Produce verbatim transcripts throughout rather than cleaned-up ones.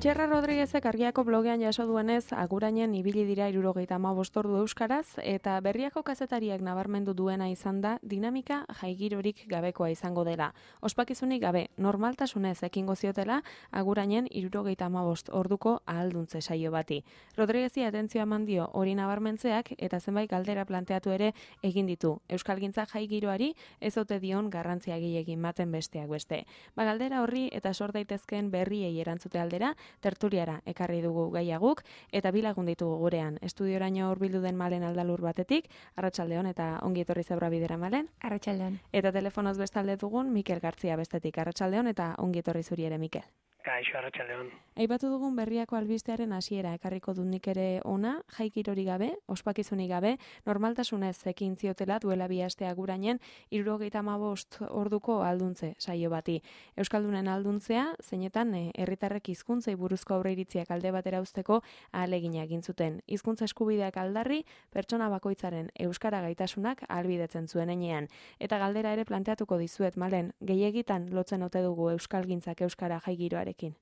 Txerra Rodriguezek Argiako blogean jaso duenez, Agurainen ibili dira hirurogeita hamabost ordu euskaraz, eta Berriako kazetariak nabarmendu duena izan da dinamika jaigirorik gabekoa izango dela. Ospakizunik gabe, normaltasunez ekingo ziotela, Agurainen hirurogeita hamabost orduko ahalduntze saio bati. Rodriguezi atentzioa eman dio hori nabarmentzeak eta zenbait galdera planteatu ere egin ditu. Euskalgintza jaigiroari ez ote dion garrantzia gehiegi ematen besteak beste. Ba galdera horri eta sor daitezkeen berriei erantzute aldera, tertuliara ekarri dugu gaiaguk, eta bi lagun ditugu gurean. Estudioraino hurbildu den Malen Aldalur batetik, Arratsaldeon eta ongi etorri Zebra Bidera Malen. Arratsaldeon. Eta telefonoz bestalde dugun Mikel Gartzia bestetik. Arratsaldeon eta ongi etorri zuri ere, Mikel. Kaixo, arratsaldeon. Aipatu dugun Berriako albistearen hasiera ekarriko dut nik ere ona, jaikirori gabe, ospakizunik gabe, normaltasunez ekin ziotela duela bi aste Agurainen hirurogeita hamabost orduko alduntze saio bati. Euskaldunen alduntzea, zeinetan herritarrek hizkuntzei buruzko aurreiritziak alde batera uzteko ahalegina egin zuten. Hizkuntza eskubideak aldarri, pertsona bakoitzaren euskara gaitasunak ahalbidetzen zuen heinean. Eta galdera ere planteatuko dizuet, Malen, gehiegitan lotzen ote dugu euskalgintzak euskara jaigiroarekin?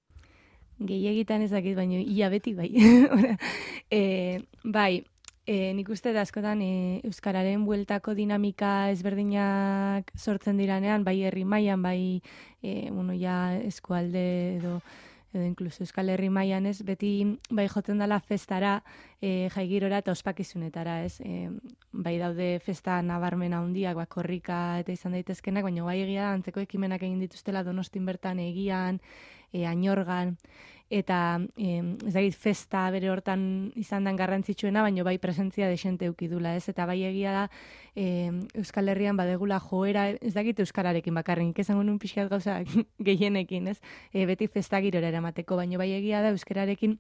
Gehiegitan ez dakit, baina ia beti bai. e, bai, e, nik uste da askotan e, euskararen bueltako dinamika ezberdinak sortzen diranean, bai herri mailan, bai e, bueno, ja eskualde edo edo inkluso Euskal Herri mailan ez, beti bai jotzen dela festara, e, jaigirora eta ospakizunetara, ez? E, bai daude festa nabarmen handiak, ba, korrika eta izan daitezkenak, baina bai egia da, antzeko ekimenak egin dituztela Donostin bertan Egian, e, Añorgan, eta e, ez dakit festa bere hortan izan den garrantzitsuena, baina bai presentzia desente eukidula, ez? Eta bai egia da, e, Euskal Herrian badegula joera, ez dakit euskararekin bakarrik, esango nun pixkat gauza gehienekin, ez? E, beti festa girora eramateko, baina bai egia da euskararekin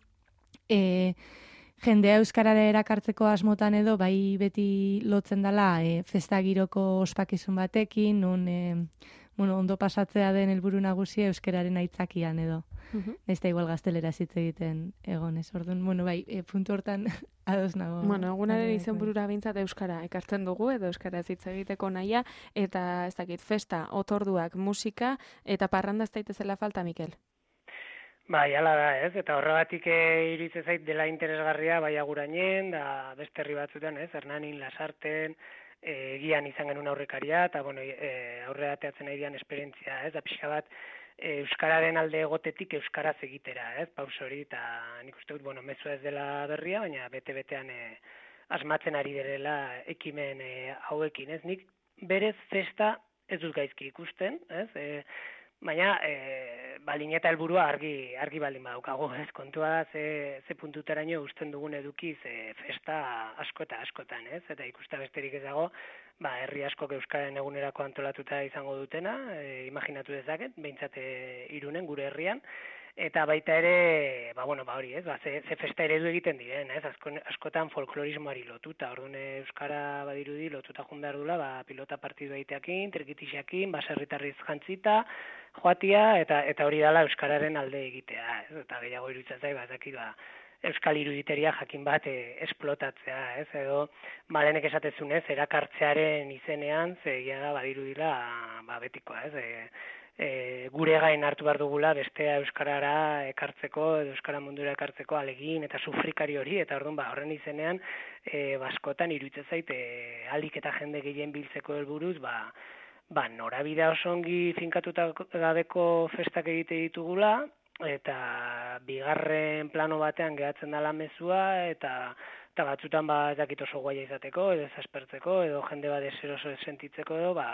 e, jendea euskarara erakartzeko asmotan edo bai beti lotzen dela e, festa giroko ospakizun batekin, non e, bueno, ondo pasatzea den helburu nagusia euskararen aitzakian edo. Uh-huh. Ez da igual gaztelera hitz egiten egonez. Orduan, bueno, bai, e, puntu hortan ados nago. Bueno, egunaren izenburura behintzat euskara ekartzen dugu, edo euskaraz hitz egiteko nahia, eta ez dakit, festa, otorduak, musika, eta parranda ez daitezela falta, Mikel? Bai, hala da, ez? Eta horregatik e, iruditzen zait dela interesgarria bai Agurainen, da beste herri batzuetan, ez? Hernanin, Lasarten, e, Egian izan genuen aurrekaria, eta bueno, e, aurrera ateatzen nahi dian esperientzia, ez? Da pixka bat, e, euskararen alde egotetik euskaraz egitera, ez? Paus hori, eta nik uste dut, bueno, mezua ez dela berria, baina bete-betean e, asmatzen ari direla ekimen e, hauekin, ez? Nik berez festa ez dut gaizki ikusten, ez? E, Baina, e, balin eta helburua argi argi baldin badaukagu, ez? Kontua da ze, ze puntuteraino uzten dugun edukiz e, festa asko eta askotan, ez? Eta ikusta besterik ez dago, ba, herri askok euskaren egunerako antolatuta izango dutena, e, imaginatu dezaket, behintzat e, Irunen, gure herrian, eta baita ere, ba, bueno, ba, hori, ez? Ba, ze, ze festa eredu egiten diren, ez? Asko, askotan folklorismoari lotuta, orduan euskara badirudi lotuta joan behar dula, ba, pilota partidu egiteakin, trikitixakin, baserritarriz jantzita, joatia, eta eta hori dela euskararen alde egitea, ez? Eta gehiago iruditzen zait, ba, ez dakit, ba, euskal iruditeria jakin bat e, esplotatzea, ez? Edo Malenek esatezunez, erakartzearen izenean, ze egia da badirudila, ba, betikoa, ez? E, E, gure gain hartu behar dugula bestea euskarara ekartzeko edo euskara mundura ekartzeko alegin eta sufrikari hori, eta orduan ba horren izenean e, baskotan iruditzen zait e, alik eta jende gehien biltzeko helburuz ba ba norabidea oso ongi finkatuta gabeko festak egite ditugula eta bigarren plano batean gehatzen dela mezua eta eta batzutan ba ez dakit oso guaia izateko edo ezaspertzeko edo jende bat deseroso sentitzeko edo ba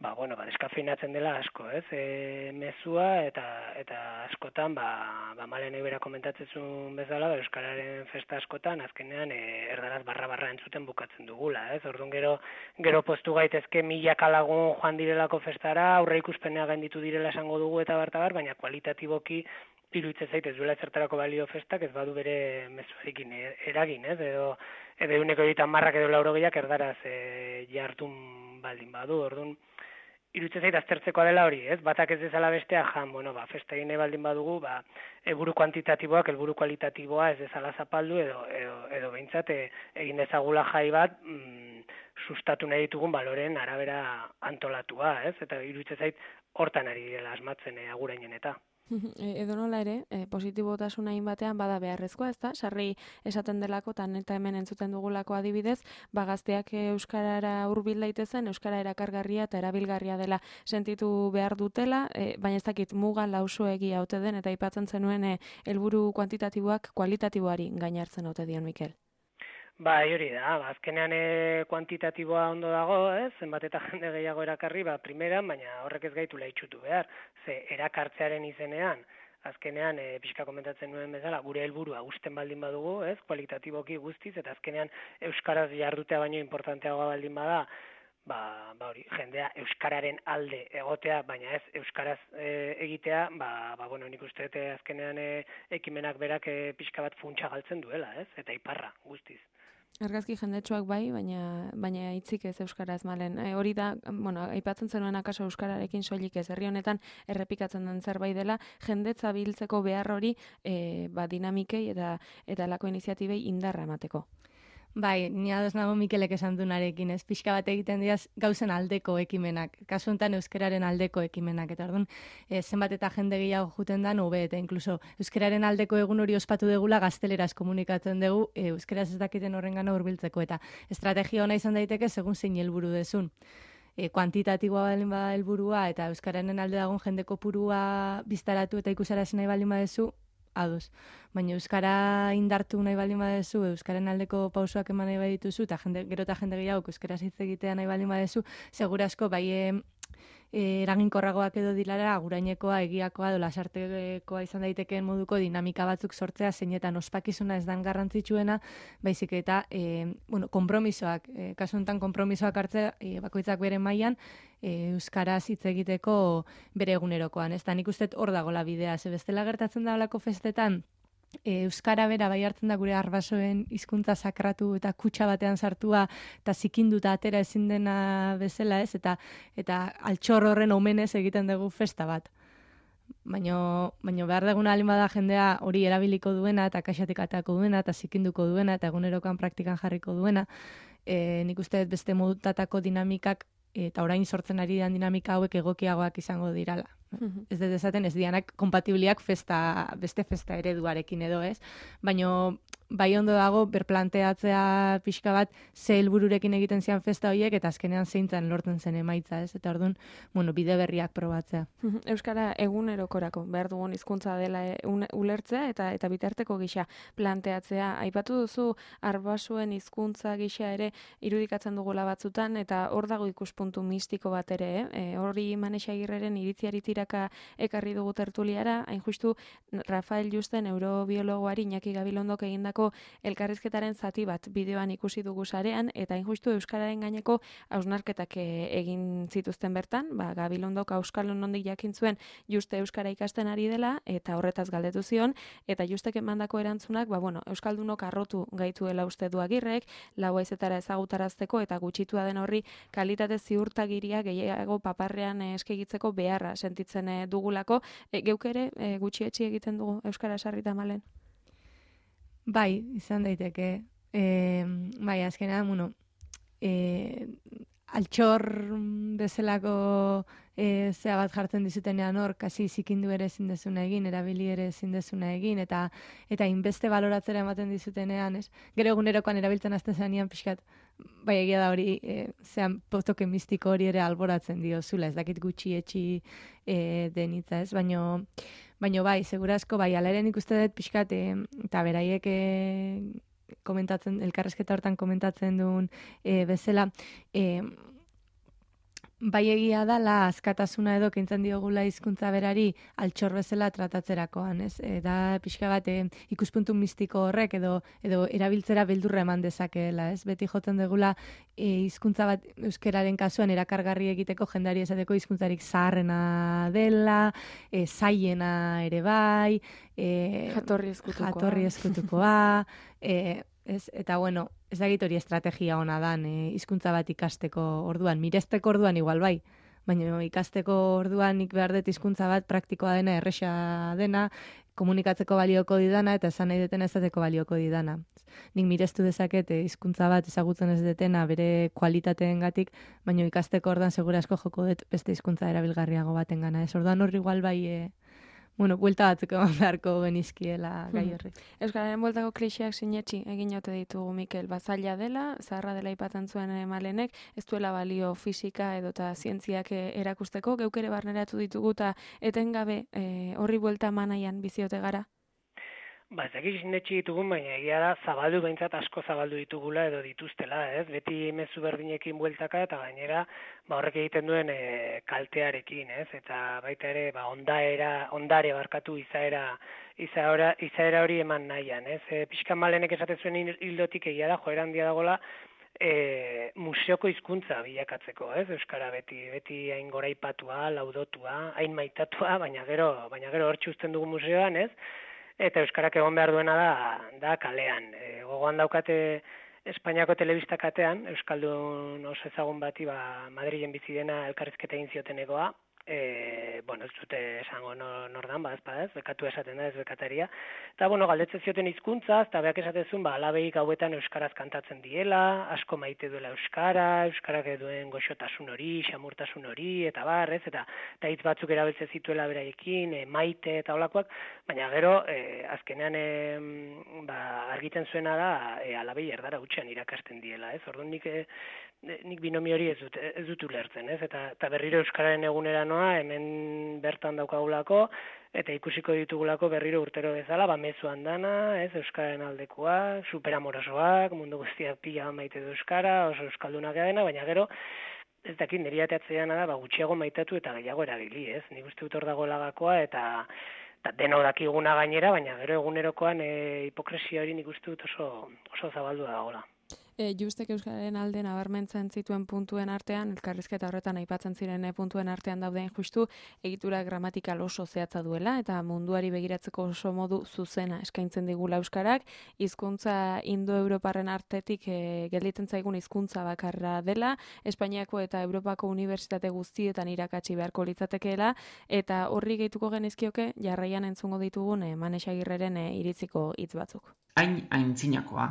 ba, bueno, ba, deskafeinatzen dela asko, ez, e, mezua, eta eta askotan, ba, ba Malen ebera komentatzen zuen bezala, ba, euskararen festa askotan, azkenean, e, erdaraz barra-barra entzuten bukatzen dugula, ez, orduan gero, gero postu gaitezke milaka lagun joan direlako festara, aurre ikuspenea gainditu direla esango dugu eta bartabar, baina kualitatiboki iruditzen zait ez duela ezertarako balio festak, ez badu bere mezuarekin eragin, ez, edo, edo eguneko egiten marrak edo laurogeiak erdaraz e, jartun baldin badu, orduan, iruditzen zait aztertzekoa dela hori, ez? Batak ez dezala bestea jan, bueno, ba, festa egin baldin badugu, ba, helburu kuantitatiboak, helburu kualitatiboa ez dezala zapaldu, edo, edo, edo behintzat e, egin dezagula jai bat mm, sustatu nahi ditugun baloren arabera antolatua, ez? Eta iruditzen zait hortan ari dela asmatzen e, Agurainen eta. Edo nola ere, e, positibotasuna batean bada beharrezkoa, ezta? Sarri esaten delako, tan eta hemen entzuten dugulako adibidez, ba gazteak euskarara hurbil daitezen, euskara erakargarria eta erabilgarria dela sentitu behar dutela, e, baina ez dakit muga lausoegia ote den, eta aipatzen zenuen e, helburu kuantitatiboak kualitatiboari gainartzen ote dion, Mikel. Ba, hori da, ba, azkenean e, kuantitatiboa ondo dago, ez? Zenbat eta jende gehiago erakarri, ba, primeran, baina horrek ez gaitula itxutu behar. Ze erakartzearen izenean, azkenean, e, pixka komentatzen nuen bezala, gure helburua usten baldin badugu, ez? Kualitatiboki guztiz, eta azkenean euskaraz jardutea baino importanteagoa baldin bada, ba, ba hori, jendea euskararen alde egotea, baina ez euskaraz e, egitea, ba, ba bueno, nik uste dut azkenean e, ekimenak berak e, pixka bat funtsa galtzen duela, ez? Eta iparra guztiz. Argazki jendetsuak bai, baina baina hitzik ez euskaraz malen. E, hori da, bueno, aipatzen zenuen akaso euskararekin soilik ez, herri honetan errepikatzen den zerbait dela, jendetza biltzeko behar hori e, ba, dinamikei eta eta lako iniziatibei indarra emateko. Bai, ni ados nago Mikelek esan dunarekin, ez pixka bat egiten diaz gauzen aldeko ekimenak, kasu honetan euskararen aldeko ekimenak, eta orduan e, zenbat eta jende gehiago juten da, hobe, eta inkluso euskararen aldeko egun hori ospatu degula gazteleraz komunikatzen dugu, e, euskaraz ez dakiten horrengana hurbiltzeko, eta estrategia ona izan daiteke segun zein helburu dezun. E, kuantitatiboa baldin bada helburua eta euskararen alde dagoen jende kopurua biztaratu eta ikusarazi nahi baldin badezu, ados. Baina euskara indartu nahi baldin badezu, euskaren aldeko pausoak eman nahi badituzu, eta jende, gero eta jende gehiago euskaraz hitz egitea nahi baldin badezu, segurasko bai e, eraginkorragoak edo dilara agurainekoa, egiakoa, edo lasartekoa izan daitekeen moduko dinamika batzuk sortzea, zeinetan ospakizuna ez dan garrantzitsuena, baizik eta e, bueno, konpromisoak, e, kasu honetan konpromisoak hartzea, e, bakoitzak bere mailan, e, euskaraz hitz egiteko bere egunerokoan. Ez da, nik uste hor dagoela bidea, ze bestela gertatzen da holako festetan, E, euskara bera bai hartzen da gure arbasoen hizkuntza sakratu eta kutxa batean sartua eta zikinduta atera ezin dena bezala, ez? Eta eta altxor horren omenez egiten dugu festa bat. Baino, baino behar deguna alin bada jendea hori erabiliko duena eta kaxatik atako duena eta zikinduko duena eta egunerokan praktikan jarriko duena. E, nik uste beste modutatako dinamikak eta orain sortzen ari den dinamika hauek egokiagoak izango dirala. Mm-hmm. Ez dut esaten ez dianak kompatibliak festa, beste festa ereduarekin edo ez, baino bai ondo dago berplanteatzea pixka bat ze helbururekin egiten zian festa horiek eta azkenean zeintzan lortzen zen emaitza, ez? Eta orduan, bueno, bide berriak probatzea. Euskara egunerokorako behar dugun hizkuntza dela ulertzea eta eta bitarteko gisa planteatzea. Aipatu duzu arbasuen hizkuntza gisa ere irudikatzen dugula batzutan eta hor dago ikuspuntu mistiko bat ere, eh? E, hori Manexa Agirreren iritziari tiraka ekarri dugu tertuliara, hain justu Rafael Juste neurobiologoari Iñaki Gabilondok egindako elkarrizketaren zati bat bideoan ikusi dugu sarean, eta injustu euskararen gaineko hausnarketak egin zituzten bertan, ba, Gabilondok auskalo nondik jakin zuen Juste euskara ikasten ari dela, eta horretaz galdetu zion, eta Justek emandako erantzunak, ba, bueno, euskaldunok arrotu gaituela uste du Agirrek, lau haizetara ezagutarazteko, eta gutxitua den horri kalitate ziurtagiria gehiago paparrean eskegitzeko beharra sentitzen dugulako. E, geuk ere e, gutxietxi egiten dugu euskara sarrita malen? Bai, izan daiteke. E, bai, azkenean, bueno, e, altxor bezalako e, zea bat jartzen dizutenean hor, kasi zikindu ere ezin dezuna egin, erabili ere ezin dezuna egin, eta eta inbeste baloratzera ematen dizutenean, ez? Gero egunerokoan erabiltzen azten zanean pixkat, bai egia da hori, e, zean potoke mistiko hori ere alboratzen dio zula, ez dakit gutxi etxi e, denitza, ez? Baino, baino bai, segurazko, bai, alaren ikuste dut pixkat, e, eta beraiek e, komentatzen, elkarrezketa hortan komentatzen duen e, bezala, e, bai egia dala askatasuna edo kentzen diogula hizkuntza berari altxor bezala tratatzerakoan, ez? E, da pixka bat e, ikuspuntu mistiko horrek edo edo erabiltzera beldurra eman dezakeela, ez? Beti jotzen degula e, hizkuntza bat euskeraren kasuan erakargarri egiteko jendari esateko hizkuntzarik zaharrena dela, e, zaiena ere bai, e, jatorri eskutukoa. Jatorri eskutukoa, e, ez, eta bueno, ez dakit hori estrategia ona dan, e, hizkuntza bat ikasteko orduan, miresteko orduan igual bai, baina ikasteko orduan nik behar dut hizkuntza bat praktikoa dena, erresa dena, komunikatzeko balioko didana eta esan nahi deten ezateko balioko didana. Nik mirestu dezaket hizkuntza bat ezagutzen ez detena bere kualitateengatik, baina ikasteko orduan segurasko joko dut beste hizkuntza erabilgarriago batengana. Ez orduan horri igual bai, e, bueno, buelta batzuk eman beharko genizkiela gai horri. Euskararen bueltako kliseak sinetxi egin ote ditugu, Mikel, bazaila dela, zaharra dela ipatzen zuen Malenek, ez duela balio fisika edota zientziak erakusteko, geuk ere barneratu ditugu eta etengabe e, horri buelta manaian biziote gara? Ba, ez dakit sinetxi ditugun, baina egia da zabaldu behintzat asko zabaldu ditugula edo dituztela, ez? Beti mezu berdinekin bueltaka eta gainera ba, horrek egiten duen e, kaltearekin, ez? Eta baita ere ba, ondaera, ondare barkatu izaera, izaera, izaera hori eman nahian, ez? E, Pixka Malenek esaten zuen hildotik egia da, joera handia dagoela, E, museoko hizkuntza bilakatzeko, ez? Euskara beti beti hain goraipatua, laudotua, hain maitatua, baina gero, baina gero hortxe uzten dugu museoan, ez? Eta euskarak egon behar duena da da kalean. E, gogoan daukate Espainiako telebista katean, euskaldun oso ezagun bati ba Madrilen bizi dena elkarrizketa egin ziotenekoa. E, bueno, ez dute esango nor, nordan, ba, ez, bekatu esaten da, ez bekataria. Eta, bueno, galdetzen zioten hizkuntza, eta beak esatezun, ba, alabei gauetan euskaraz kantatzen diela, asko maite duela euskara, euskarak duen goxotasun hori, xamurtasun hori, eta bar, ez, eta, eta hitz batzuk erabiltzen zituela beraiekin, e, maite eta olakoak, baina gero, e, azkenean, e, ba, argiten zuena da, e, alabei erdara utxean irakasten diela, ez, orduan nik, e, nik binomio hori ez dut, ez dut ulertzen, ez, eta, eta berriro euskararen egunera noa, hemen bertan daukagulako, eta ikusiko ditugulako berriro urtero bezala, ba, mezuan dana, ez, euskararen aldekoak, superamorosoak, mundu guztiak pila maite du euskara, oso euskaldunak dena, baina gero, ez dakit, niri ateatzean da, ba, gutxiago maitatu eta gehiago erabili, ez, nik uste dut hor dago lagakoa, eta, eta deno dakiguna gainera, baina gero egunerokoan e, hipokresia hori nik uste dut oso, oso zabaldu dagoela. E, Justek euskararen alde nabarmentzen zituen puntuen artean, elkarrizketa horretan aipatzen ziren puntuen artean dauden justu, egitura gramatikal oso zehatza duela, eta munduari begiratzeko oso modu zuzena eskaintzen digula euskarak, hizkuntza indo-europarren artetik e, gelditzen zaigun hizkuntza bakarra dela, Espainiako eta Europako unibertsitate guztietan irakatsi beharko litzatekeela, eta horri gehituko genizkioke jarraian entzungo ditugun e, Manex Agirreren e, iritziko hitz batzuk. Hain aintzinakoa,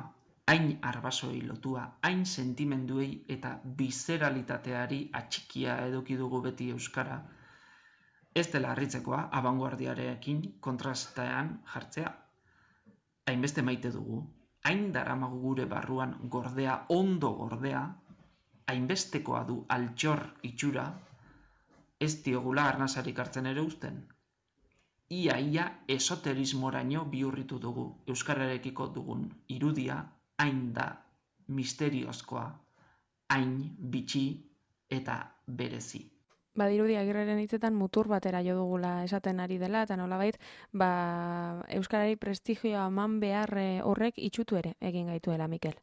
hain arbasoi lotua, hain sentimenduei eta bizeralitateari atxikia eduki dugu beti euskara, ez dela harritzekoa abanguardiarekin kontrastean jartzea. Hainbeste maite dugu, hain daramagu gure barruan gordea, ondo gordea, hainbestekoa du altxor itxura, ez diogula arnasarik hartzen ere uzten. Ia-ia esoterismoraino bihurritu dugu euskararekiko dugun irudia, hain da misteriozkoa, hain bitxi eta berezi. Badirudi Agirreren hitzetan mutur batera jo dugula esaten ari dela, eta nolabait, ba, euskarari prestigioa eman behar horrek itxutu ere egin gaituela, Mikel.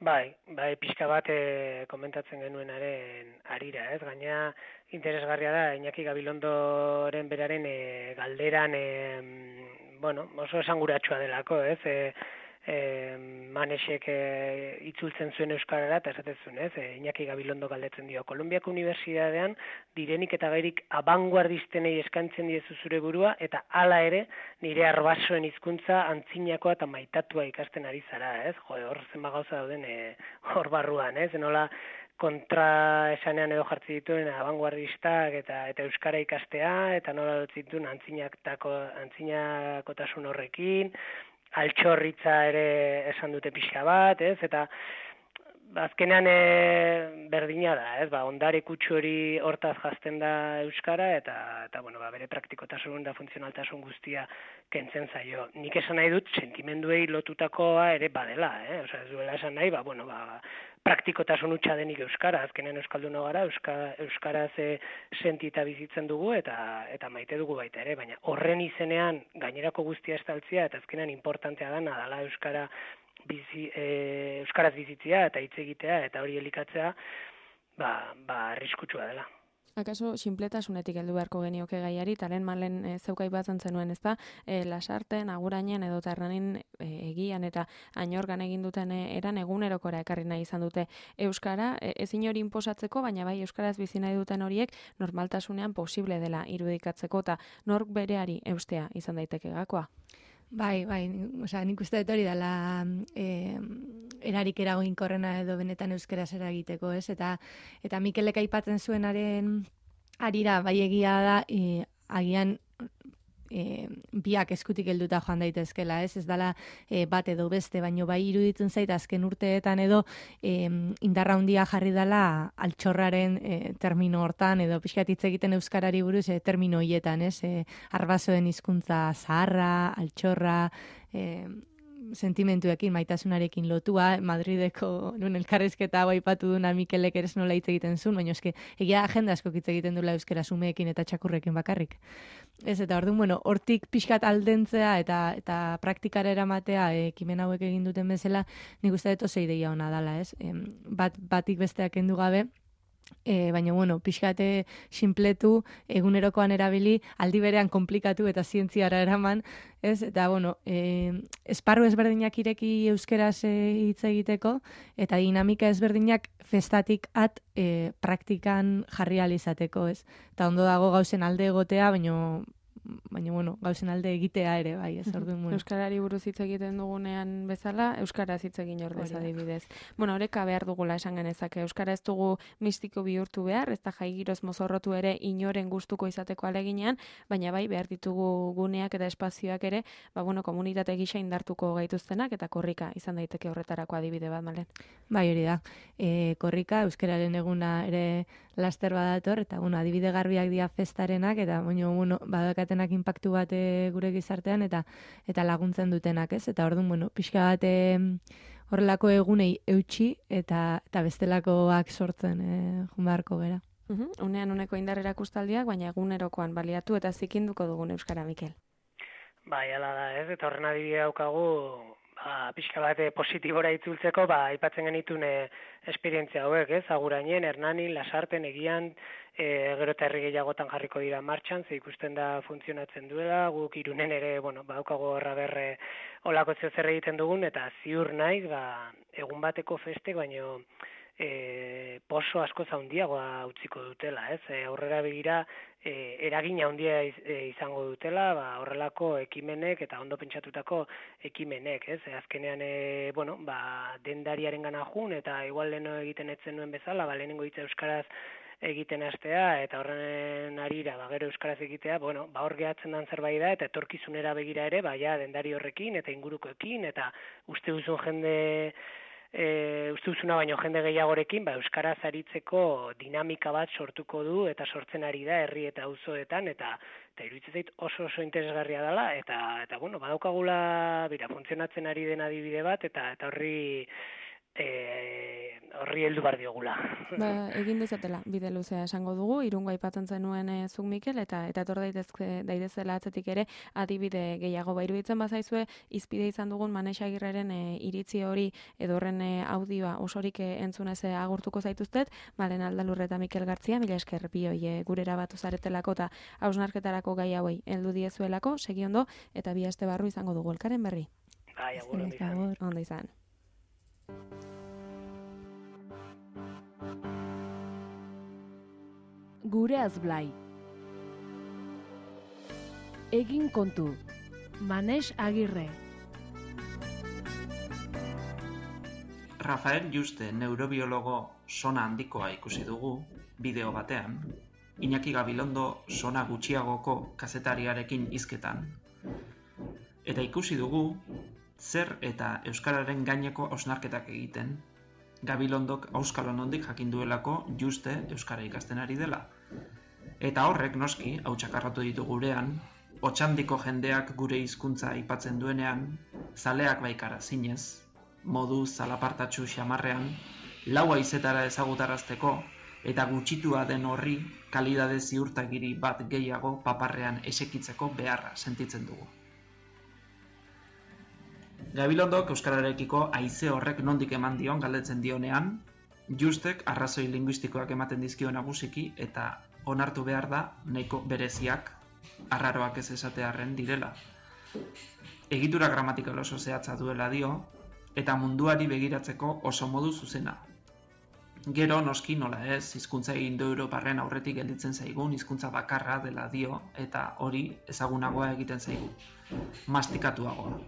Bai, bai, pixka bat e, komentatzen genuenaren arira, ez? Gaina interesgarria da, Iñaki Gabilondoren beraren e, galderan, e, bueno, oso esanguratsua delako, ez? E, e, Manexek e, itzultzen zuen euskarara, eta esaten zuen, ez? E, Iñaki Gabilondo galdetzen dio, Kolonbiako Unibertsitatean direnik eta gairik abanguardistenei eskaintzen diezu zure burua, eta hala ere nire arbasoen hizkuntza antzinakoa eta maitatua ikasten ari zara, ez? Jo, hor zenba gauza dauden e, hor barruan, ez? Nola kontra esanean edo jartzi dituen abanguardistak eta eta euskara ikastea, eta nola dituen antzinakotako antzinakotasun horrekin, altxorritza ere esan dute pixka bat, ez? Eta azkenean e, berdina da, ez? Ba, ondare kutsu hori hortaz jazten da euskara, eta eta bueno, ba, bere praktikotasun da funtzionaltasun guztia kentzen zaio. Nik esan nahi dut sentimenduei lotutakoa ere badela, eh? Osea, ez duela esan nahi, ba, bueno, ba, praktikotasun hutsa denik euskara, azkenean euskalduna gara, euska, euskaraz e, sentita bizitzen dugu eta eta maite dugu baita ere, baina horren izenean gainerako guztia estaltzia eta azkenean importantea dana dela euskara bizi, e, euskaraz bizitzea eta hitz egitea eta hori elikatzea, ba, ba arriskutsua dela. Akaso sinpletasunetik heldu beharko genioke gaiari, talen malen e, zeukai batzen zenuen, ezta? E, lasarten, agurainen edo tarranin e, egian eta ainorgan egin duten e, eran egunerokora ekarri nahi izan dute euskara, e, ezin hori inposatzeko, baina bai euskaraz bizi nahi duten horiek normaltasunean posible dela irudikatzeko eta nork bereari eustea izan daiteke gakoa. Bai, bai, osea, nik uste dut hori dela e, erarik eraginkorrena edo benetan euskeraz eragiteko, ez? Eta eta Mikelek aipatzen zuenaren arira bai egia da, e, agian e, biak eskutik helduta joan daitezkela, ez? Ez dala e, bat edo beste, baino bai iruditzen zait azken urteetan edo e, indarra handia jarri dela altxorraren e, termino hortan, edo pixkat hitz egiten euskarari buruz e, termino hietan, ez? E, arbasoen hizkuntza zaharra, altxorra, e, sentimentuekin, maitasunarekin lotua, Madrideko nun elkarrizketa hau aipatu duna Mikelek ere nola hitz egiten zuen, baina eske egia agenda asko hitz egiten dula euskera sumeekin eta txakurrekin bakarrik. Ez, eta orduan, bueno, hortik pixkat aldentzea eta eta praktikara eramatea ekimen hauek egin duten bezala, nik uste dut oso ideia ona dala, ez? Em, bat, batik besteak kendu gabe, E, baina, bueno, pixkate sinpletu, egunerokoan erabili, aldi berean komplikatu eta zientziara eraman, ez? Eta, bueno, e, esparru ezberdinak ireki euskeraz e, hitz egiteko, eta dinamika ezberdinak festatik at e, praktikan jarri alizateko, ez? Eta ondo dago gauzen alde egotea, baina, baina, bueno, gauzen alde egitea ere, bai, ez orduan, bueno. Euskarari buruz hitz egiten dugunean bezala, euskaraz hitz egin ordez adibidez. Bueno, oreka behar dugula esan genezake, euskara ez dugu mistiko bihurtu behar, ez da jaigiroz mozorrotu ere inoren gustuko izateko aleginean, baina bai behar ditugu guneak eta espazioak ere, ba bueno, komunitate gisa indartuko gaituztenak eta korrika izan daiteke horretarako adibide bat, Malen. Bai, hori da. E, korrika euskararen eguna ere laster badator, eta bueno, adibide garbiak dira festarenak, eta bueno, bueno, badakatenak inpaktu bat gure gizartean, eta eta laguntzen dutenak, ez? Eta orduan, bueno, pixka bat horrelako egunei eutxi, eta eta bestelakoak sortzen e, joan beharko gera. Uhum, unean uneko indar erakustaldiak, baina egunerokoan baliatu eta zikinduko dugun euskara, Mikel. Bai, ala da, ez? Eta horren adibidea daukagu, ba, pixka bat positibora itzultzeko, ba, aipatzen genitun e, esperientzia hauek, ez? Agurainen, Hernanin, Lasarten, Egian, e, gero eta herri gehiagotan jarriko dira martxan, ze ikusten da funtzionatzen duela, guk Irunen ere, bueno, badaukago horra berre olako zer egiten dugun, eta ziur naiz, ba, egun bateko festek, baino e, poso asko zaundiagoa utziko dutela, ez? E, aurrera begira, e, eragina handia iz, e, izango dutela, ba, horrelako ekimenek eta ondo pentsatutako ekimenek, ez? E, azkenean, e, bueno, ba, dendariaren gana jun, eta igual leno egiten etzen nuen bezala, ba, lehenengo hitza euskaraz egiten hastea, eta horren arira, ba, gero euskaraz egitea, bueno, ba, hor gehatzen dan zerbait da, eta etorkizunera begira ere, ba, ja, dendari horrekin, eta ingurukoekin, eta uste duzun jende, e, uste duzuna baino jende gehiagorekin, ba, euskaraz aritzeko dinamika bat sortuko du, eta sortzen ari da, herri eta auzoetan, eta eta iruditzen zait oso oso interesgarria dela, eta, eta bueno, badaukagula, bira, funtzionatzen ari den adibide bat, eta eta horri, E, horri heldu bar diogula. Ba, egin dezatela, bide luzea esango dugu, Irungo aipatzen zenuen e, zuk Mikel, eta eta etor daitezke daitezela atzetik ere adibide gehiago. Ba, iruditzen bazaizue izpide izan dugun Manex Agirreren e, iritzi hori edo horren e, audioa osorik e, entzunez e, agurtuko zaituztet, Malen Aldalurre eta Mikel Gartzia, mila esker bioi e, gurera batu zaretelako eta hausnarketarako gai hauei heldu diezuelako, segi ondo, eta bi aste barru izango dugu elkaren berri. Bai, agur, ondo izan. Ondo izan. Gure azblai. Egin kontu. Manex Agirre. Rafael Juste neurobiologo sona handikoa ikusi dugu bideo batean, Iñaki Gabilondo sona gutxiagoko kazetariarekin hizketan. Eta ikusi dugu zer eta euskararen gaineko hausnarketak egiten. Gabilondok auskalo nondik jakin duelako Juste euskara ikasten ari dela. Eta horrek noski, hau txakarratu ditu gurean, Otxandiko jendeak gure hizkuntza aipatzen duenean, zaleak baikara zinez, modu zalapartatxu xamarrean, lau haizetara ezagutarazteko, eta gutxitua den horri kalidade ziurtagiri bat gehiago paparrean esekitzeko beharra sentitzen dugu. Gabilondok euskararekiko haize horrek nondik eman dion galdetzen dionean, Justek arrazoi linguistikoak ematen dizkio nagusiki eta onartu behar da nahiko bereziak, arraroak ez esatearren direla. Egitura gramatikal oso zehatza duela dio, eta munduari begiratzeko oso modu zuzena. Gero noski nola ez, hizkuntza indoeuroparren aurretik gelditzen zaigun hizkuntza bakarra dela dio, eta hori ezagunagoa egiten zaigu, mastikatuagoa.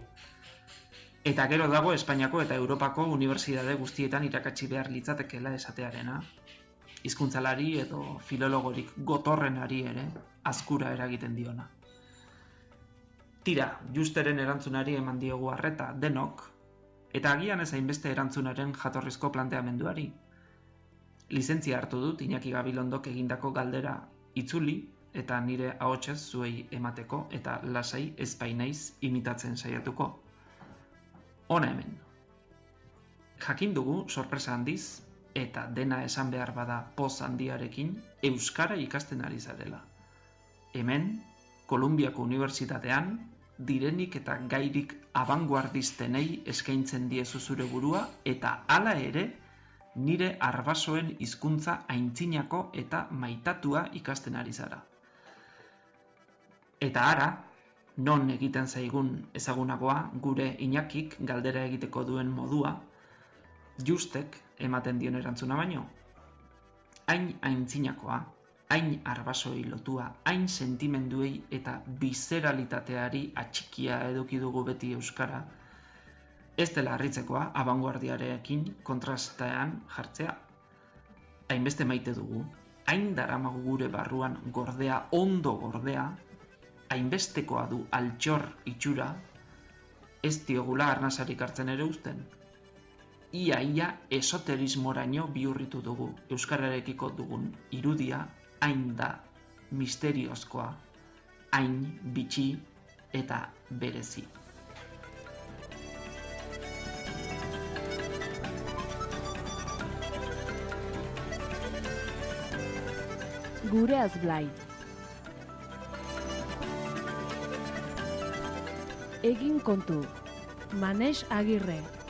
Eta gero dago Espainiako eta Europako unibertsitate guztietan irakatsi behar litzatekeela esatearena, hizkuntzalari edo filologorik gotorrenari ere azkura eragiten diona. Tira, justeren erantzunari eman diogu arreta denok, eta agian ez hainbeste erantzunaren jatorrizko planteamenduari. Lizentzia hartu dut Iñaki Gabilondok egindako galdera itzuli eta nire ahotsez zuei emateko eta lasai ez bainaiz imitatzen saiatuko. Hona hemen. Jakin dugu sorpresa handiz eta dena esan behar bada poz handiarekin euskara ikasten ari zarela. Hemen, Kolumbiako Unibertsitatean, direnik eta gairik abanguardistenei eskaintzen diezu zure burua eta hala ere nire arbasoen hizkuntza aintzinako eta maitatua ikasten ari zara. Eta ara, non egiten zaigun ezagunagoa gure Iñakik galdera egiteko duen modua, justek ematen dion erantzuna baino. Hain aintzinakoa, hain arbasoi lotua, hain sentimenduei eta bizeralitateari atxikia eduki dugu beti euskara, ez dela harritzekoa abanguardiarekin kontrastean jartzea. Hainbeste maite dugu, hain daramagu gure barruan gordea, ondo gordea, hainbestekoa du altxor itxura, ez diogula arnasarik hartzen ere uzten. Ia-ia esoterismoraino bihurritu dugu euskararekiko dugun irudia, hain da misteriozkoa, hain bitxi eta berezi. Gureaz Blai. Egin kontu. Manex Agirre.